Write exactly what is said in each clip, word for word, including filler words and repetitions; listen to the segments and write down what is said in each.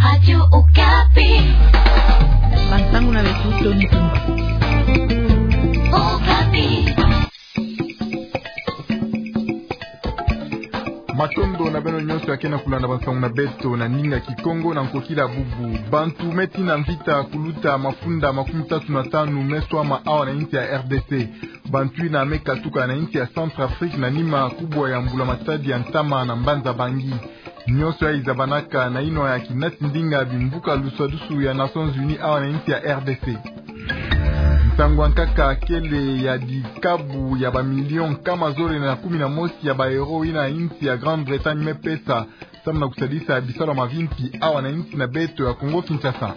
Radio Okapi. Bansangu na beto Tony Tumba. Okapi. Matondo na beno nyonso ya ke na kulanda bansangu na beto na ndinga Kikongo na nkokila bubu. Bantu me tina mvita kuluta mafunda makumi tatu na tanu me swama awa na insi ya R D C. Bantu ina me katuka na insi ya Centrafrique na nima kubwa ya mbula matadi ya ntama na mbanza Bangui. Nyonso yayi zabanaka na yinwa ya kinati ndinga bimvuka luswadusu ya Nations Unies awa na insi ya R D C. Nsangu ya nkaka kele ya dikabu ya bamilio nkama zole na kumi na mosi ya baeuro ina insi ya Grande-Bretagne me pesa, samu na kusadisa bisalu ya mavimpi awa na insi na beto ya Congo-Kinshasa.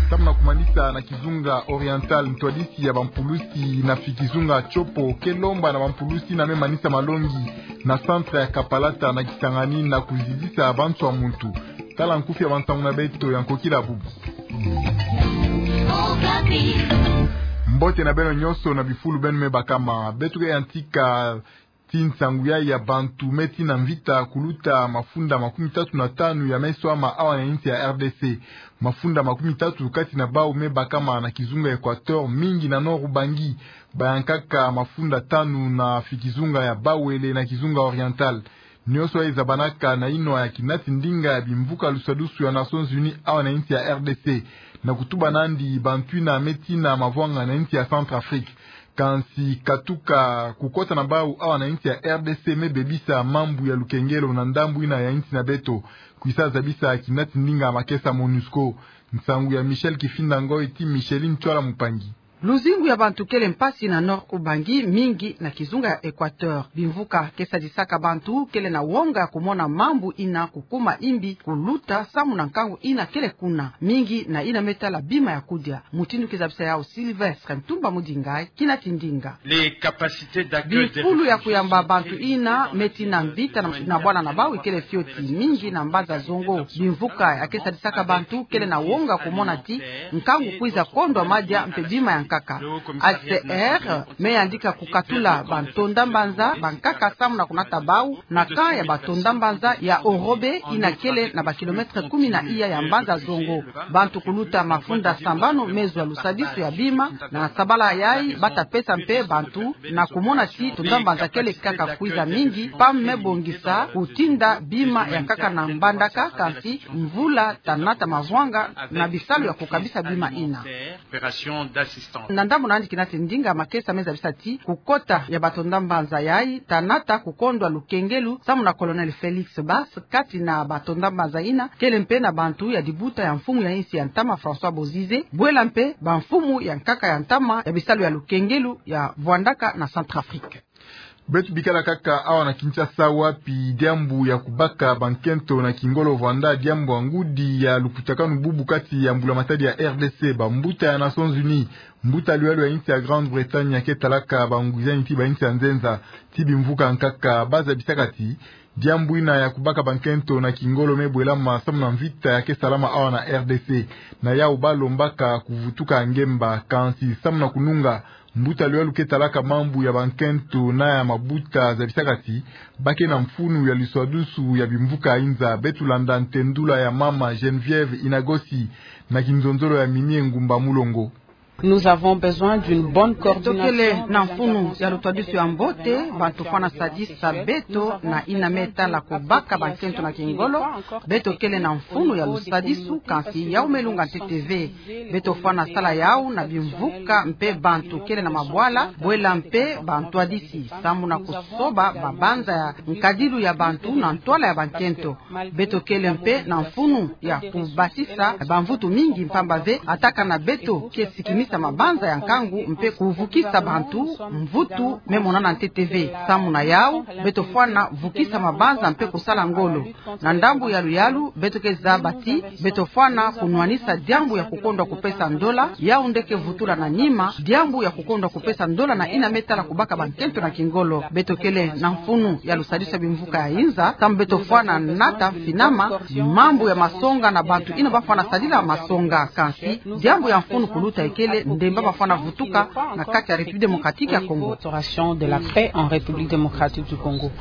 Samu na kumanisa na kizunga Oriental, ntwadisi ya bampulusi na fi kizunga Tshopo ke lomba na bampulusi ina me manisa malongi na centre ya Kapalata na Kisangani na kuzizisa bantu ya muntu. Tala nkufi ya bansangu na beto ya nkokila bubu. Mbote na beno nyonso na bifulu beno me bakama. Beto ke yantika ti nsangu yayi ya bantu me tina mvita kuluta mafunda makumi tatu na tanu ya me swama awa na insi ya R D C. Mafunda makumi tatu kati na bawu me bakama na kizunga Equateur, mingi na Nord-Ubangi, bayankaka mafunda tanu na fi kizunga ya Bawele na kizunga Oriental. Nyonso yayi zabanaka na yinwa ya kinati ndinga ya bimvuka luswadusu ya Nations Unies awa na insi ya R D C, na kutuba nandi bantu ina me tina mavwanga na insi ya Centrafrique. Kansi katuka kukota na bawu awa na insi ya R D C me bebisa mambu ya lukengelo na ndambu ina ya insi na beto, kwisa zabisa kinati ndinga ya makesa MONUSCO. Nsangu ya Michel Kifinda Ngoy ti Micheline Ntsoila Mupangi. Luzingu ya bantu kele mpasi na Nord-Ubangi, mingi na kizunga ya Equateur. Bimvuka ke sadisaka bantu kele na wonga ya kumona mambu ina kukuma imbi kuluta samu na nkangu ina kele kuna, mingi na ina me tala bima ya kudia. Mutindu ke zabisa yawu Sylvestre Ntumba Mudinga, kinati ndinga. Bifulu ya kuyamba bantu ina me tina mvita na, na bwana na bawu ikele fioti, mingi na mbanza Zongo. Bimvuka ya ke sadisaka bantu kele na wonga kumona ti nkangu kwiza kondwa madia mpe bima ya nkaka. H C R me yandika kukatula bantonda mbanza bankaka samu na kunata bawu na camp ya batonda mbanza ya Orobe ina kele na bakilometre kumi na iya ya mbanza Zongo. Bantu kuluta mafunda sambanu me zwa lusadisu ya bima, na sabala yayi bata pesa mpe bantu na kumona ti tonda mbanza kele kaka kwiza mingi, PAM me bongisa kutinda bima ya nkaka na mbandaka, kansi mvula ta nata mavwanga na bisalu ya kukabisa bima ina. Na ndambu na yandi kinati ndinga, makesa me zabisa ti kukota ya batonda mbanza yayi ta nata kukondwa lukengelu samu na Colonel Félix Basse kati na batonda mbanza ina, kele mpe na bantu ya dibuta ya mfumu ya insi ya ntama François Bozizé, bwela mpe bamfumu ya nkaka ya ntama ya bisalu ya lukengelu ya vwandaka na Centrafrique. Beto bikala kaka awa na Kinshasa, wapi diambu ya kubaka bankento na kingolo vwanda diambu ya ngudi ya lukutakanu bubu kati ya mbula matadi ya R D C. Bambuta ya Nations Unies, mbuta luyalo ya insi ya Grande-Bretagne ya ke talaka bangwizani ti bainsi ya nzenza ti bimvuka nkaka, ba zabisaka ti diambu ina ya kubaka bankento na kingolo me bwelama samu na mvita ya ke salama awa na R D C. Na yawu ba lombaka kuvutuka ngemba, kansi samu na kununga, mbuta luyalo ke talaka mambu ya bankento na ya mabuta zabisaka ti ba ke na mfunu ya luswadusu ya bimvuka inza. Beto landa ntendula ya mama Geneviève Inagosi na kinzonzolo ya Mimie Ngumba Mulongo. Nous avons besoin d'une bonne coordination. Beto kele na mfunu ya luswadusu ya mbote, bantu fwana sadisa beto na ina me tala kubaka bankento na kingolo. Beto kele na mfunu ya lusadisu, kansi yawu me lunga ntete ve. Beto fwana sala yawu na bimvuka mpe bantu kele na mabwala, bwela mpe bantwadisi, samu na kusoba mabanza ya nkadilu ya bantu na ntwala ya bankento. Beto kele mpe na mfunu ya kubasisa bamvutu mingi, mpamba ve atakana beto ke sikimisa mabanza ya nkangu mpe kuvukisa bantu, mvutu me monana ntete ve. Samu na yawu, beto fwana vukisa mabanza mpe kusala ngolo. Na ndambu ya luyalu, beto ke zaba ti beto fwana kunwanisa diambu ya kukondwa kupesa ndola, yawu nde ke vutula na nima diambu ya kukondwa kupesa ndola na ina me tala kubaka bankento na kingolo. Beto kele na mfunu ya lusadisu ya bimvuka ya inza, samu beto fwana nata mfinama mambu ya masonga na bantu ina ba fwana sadila masonga, kansi diambu ya mfunu kuluta ikele ndemba ba fwana vutuka na kati ya République démocratique ya Congo. Restauration de la paix en République démocratique du Congo.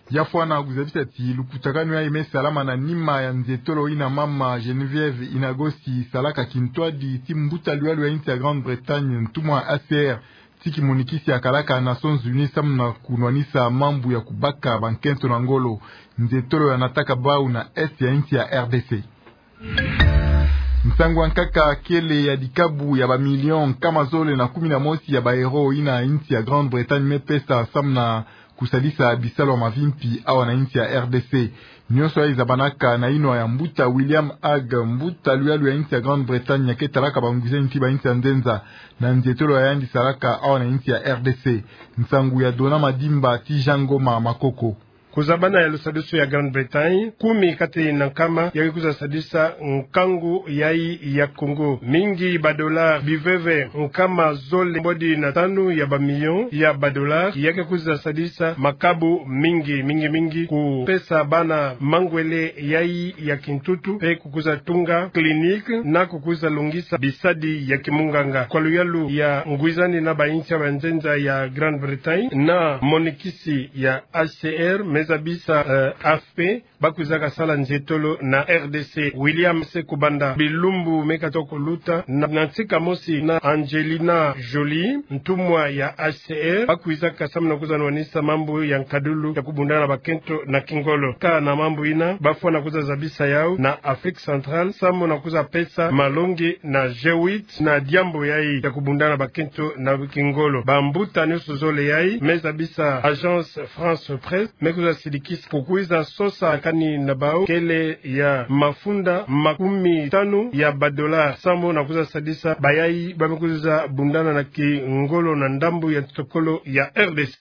Ya fwana kuzabisa ti lukutakanu yayi me salama na nima ya nzietolo ina mama Geneviève Inagosi salaka kintwadi ti mbuta luyalu ya insi ya Grande-Bretagne, ntumwa A C R, ti kimonikisi ya kalaka Nations Unies samu na kunwanisa mambu ya kubaka bankento na ngolo. Nzietolo yanataka bau na Est ya insi ya R D C. Nsangu ya nkaka, kele ya dikabu ya ba millions nkama zole na kumi na mosi ya ba euros ina insi ya Grande-Bretagne me pesa samu na kusalisa bisalu ya mavimpi awa na insi ya R D C. Nionso yayi zabanaka na yinwa ya mbuta William Hague, mbuta luyalu ya insi ya Grande-Bretagne, ya ke talaka bangwizani ti ba insi ya nzenza, na nzietolo ya yandi salaka awa na insi ya R D C. Nsangu ya Dona Madimba ti Jean Ngoma Makoko. Kuzabana ya lusadisu ya Grande-Bretagne, kumi kati na nkama ya ke kwiza sadisa nkangu yayi ya Congo. Mingi ba dollars biveve nkama zole mbodi na tanu ya ba millions ya ba dollars ya ke kwiza sadisa makabu mingi, mingi, mingi kupesa bana mangwele yayi ya kintutu, pe kukwiza tunga clinique na kukwiza longisa bisadi ya kimunganga. Kwa luyalu ya ngwizani na ba insi ya banzenza ya Grande-Bretagne na monikisi ya H C R, me zabisa, eh, A F P, bakwizaka sala nzietolo na R D C. William Sekubanda, bilumbu me katuka kuluta, na, na ntika mosi na Angelina Jolie, ntumwa ya H C R, bakwizaka samu na kwiza nwanisa mambu ya nkadulu ya kubundana bakento na kingolo. Kâ na mambu ina, bafwana kwiza zabisa yau na Afrique Centrale samu na kwiza pesa malongi na G huit na diambu yayi ya kubundana bakento na kingolo. Bambuta nionso zole yayi, me zabisa Agence France Presse, me kwiza sidikisa kukwiza sosa kani na bau kele ya mafunda makumi tanu ya ba dollars samu na kwiza sadisa bayayi ba me kwiza bundana na kingolo na ndambu ya ntokolo ya R D C.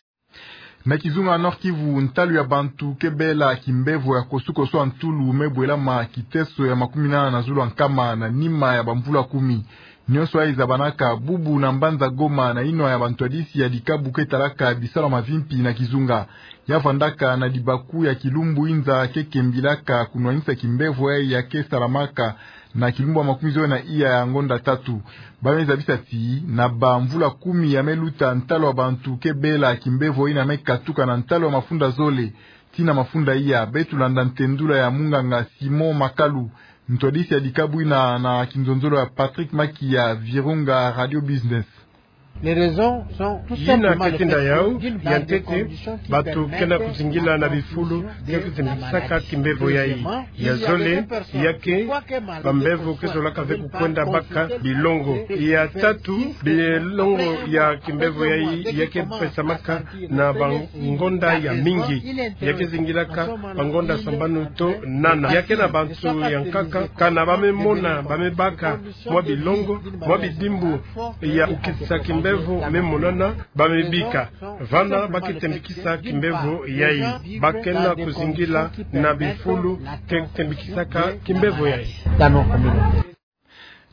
Na kizunga Nord-Kivu, ntalu ya bantu ke bela kimbevo ya kosukosu ya ntulu me bwelama kiteso ya makumi nana na zulu ya nkama na nima ya bamvula kumi. Nionso yayi zabanaka bubu na mbanza Goma na yinwa ya bantwadisi ya dikabu ke talaka bisalu ya mavimpi na kizunga. Ya vandaka na dibaku ya kilumbu inza ke kembilaka kunwanisa kimbevo yayi ya ke salamaka na kilumbu ya makumi zole na iya ya ngonda tatu. Ba me zabisa ti na bamvula kumi ya me luta, ntalu ya bantu ke bela kimbevo ina me katuka na ntalu ya mafunda zole tii na mafunda iya. Beto landa ntendula ya munganga Simon Makalu, ntwadisi ya dikabu ina na kinzonzolo ya Patrick Maki ya Virunga Radio Business. Yina ke tinda yau, ya ntete, bantu ke na kuzingila na bifulu ke kutembikisaka kimbevo yayi. Ya zole, ya ke bambevo ke zolaka ve kukwenda baka bilongo. Ya tatu, bilongo ya kimbevo yayi ya ke pesamaka na bangonda ya mingi. Ya ke zingilaka bangonda sambanu to nana. Ya ke na bantu ya nkaka, kana ba me mona, ba me baka mwa bilongo, mwa bidimbu ya kukitisa kimbevo me monana, ba me bika. Vana ba ke tembikisa kimbevo yayi. Ba ke na kuzingila na bifulu ke tembikisaka kimbevo yayi.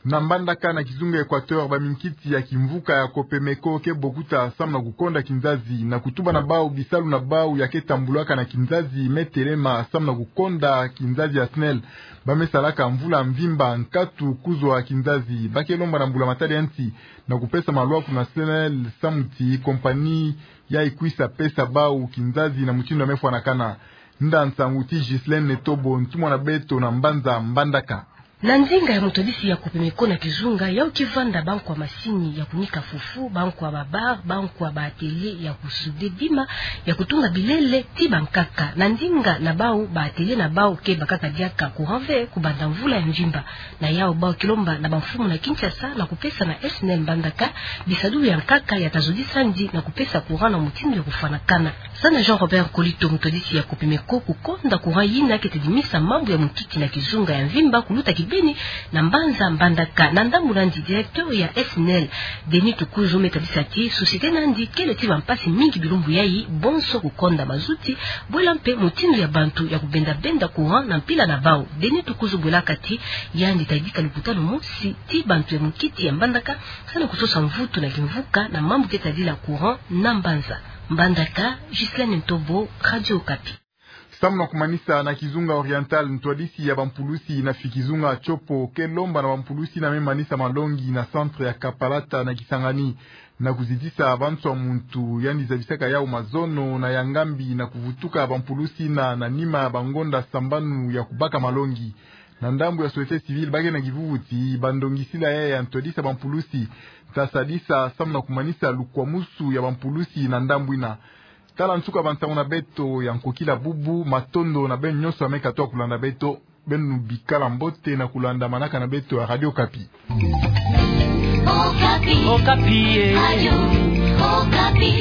Na Mbandaka na kizunga Equateur, baminkiti ya kimvuka ya Copemeko ke bokuta samu na kukonda kinzazi na kutuba na bau bisalu na bau ya ke tambulaka na kinzazi me telema samu na kukonda kinzazi ya SNEL. Ba me salaka mvula mvimba nkatu kuzwa kinzazi. Ba ke lomba na mbula matadi ya nsi na kupesa malwa kuna SNEL samu ti kompani yayi kwisa pesa bau kinzazi na mutindu ya me fwanakana. Nda nsangu ti Ghislaine Netobo, ntumwa na beto na mbanza Mbandaka. Na nzinga ya mutwadisi ya Copemeko na kizunga, yau ke vanda bankwa masini ya kunika fufu, bankwa ba bar, bankwa ba atelier ya kusude bima, ya kutunga bilele, ti bankaka. Na nzinga na bau, ba atelier na bau ke bakaka diaka courant ve kubanda mvula ya mvimba. Na yau bau ke lomba na bamfumu na Kinshasa na kupesa na SNEL Mbandaka bisadulu ya nkaka ya ta zodisa ndi na kupesa courant na mutindu ya kufwanakana. Sana Jean Robert Nkolito, mutwadisi ya Copemeko, kukonda courant yina ke tedimisa mambu ya munkiki na kizunga ya mvimba kuluta kibeni na mbanza Mbandaka. Na ndambu na ndi, directeur ya SNEL, Denis Tukuzo, me tadisa ti société na ndi kele ti bampasi mingi bilumbu yayi, bonso kukonda mazuti, bwela mpe mutindu ya bantu ya kubenda-benda courant na mpila na bau. Denis Tukuzo bwelaka ti yandi ta yidika lukutanu mosi ti bantu ya munkiki ya Mbandaka, sana kusosa mvutu na kimvuka na mambu ke tadila courant na mbanza. Mbandaka, Ghislaine Ntobo, Radio Okapi. Samu na kumanisa na kizunga Oriental, ntwadisi ya bampulusi na fi kizunga Tshopo ke lomba na bampulusi na me manisa malongi na centre ya Kapalata na Kisangani, na kuzitisa bantu ya muntu yandi zabisaka yau mazono na ya ngambi na kuvutuka bampulusi na, na nima ya bangonda sambanu ya kubaka malongi. Na ndambu ya société civile, ba ke na kivuvuti ba ndongisila ya, ya ntwadisa bampulusi ta sadisa samu na kumanisa lukwamusu ya bampulusi na ndambu ina. Tala nsuka bansangu na beto ya nkokila bubu. Matondo na beno nyonso ya me katuka kulanda beto. Beno bikala mbote na kulanda manaka na beto ya Radio Okapi. Okapi. Okapi, eh. Radio Okapi.